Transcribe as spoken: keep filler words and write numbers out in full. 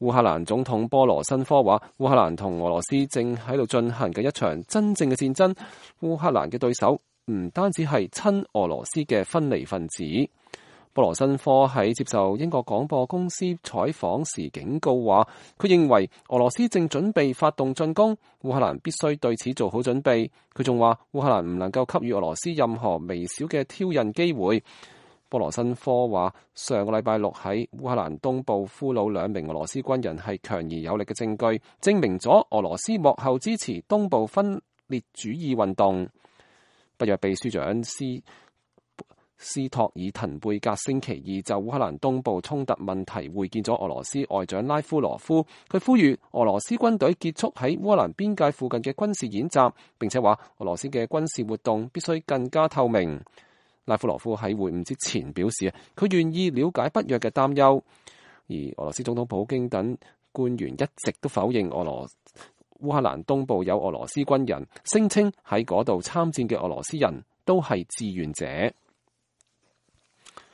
烏克蘭總統波羅申科話，烏克蘭同俄羅斯正喺度進行嘅一場真正嘅戰爭。烏克蘭嘅對手唔單止係親俄羅斯嘅分離分子。波羅申科喺接受英國廣播公司採訪時警告話，佢認為俄羅斯正準備發動進攻，烏克蘭必須對此做好準備。佢仲話，烏克蘭唔能夠給予俄羅斯任何微小嘅挑釁機會。波羅申科話，上個禮拜六喺烏克蘭東部俘虜兩名俄羅斯軍人係強而有力嘅證據，證明咗俄羅斯幕後支持東部分裂主義運動。北約秘書長斯斯托爾滕貝格星期二就烏克蘭東部衝突問題會見咗俄羅斯外長拉夫羅夫，佢呼籲俄羅斯軍隊結束喺烏克蘭邊界附近嘅軍事演習，並且話俄羅斯嘅軍事活動必須更加透明。拉夫羅夫喺會晤之前表示，佢願意了解北約嘅擔憂，而俄羅斯總統普京等官員一直都否認俄羅烏克蘭東部有俄羅斯軍人，聲稱喺嗰度參戰嘅俄羅斯人都係志願者。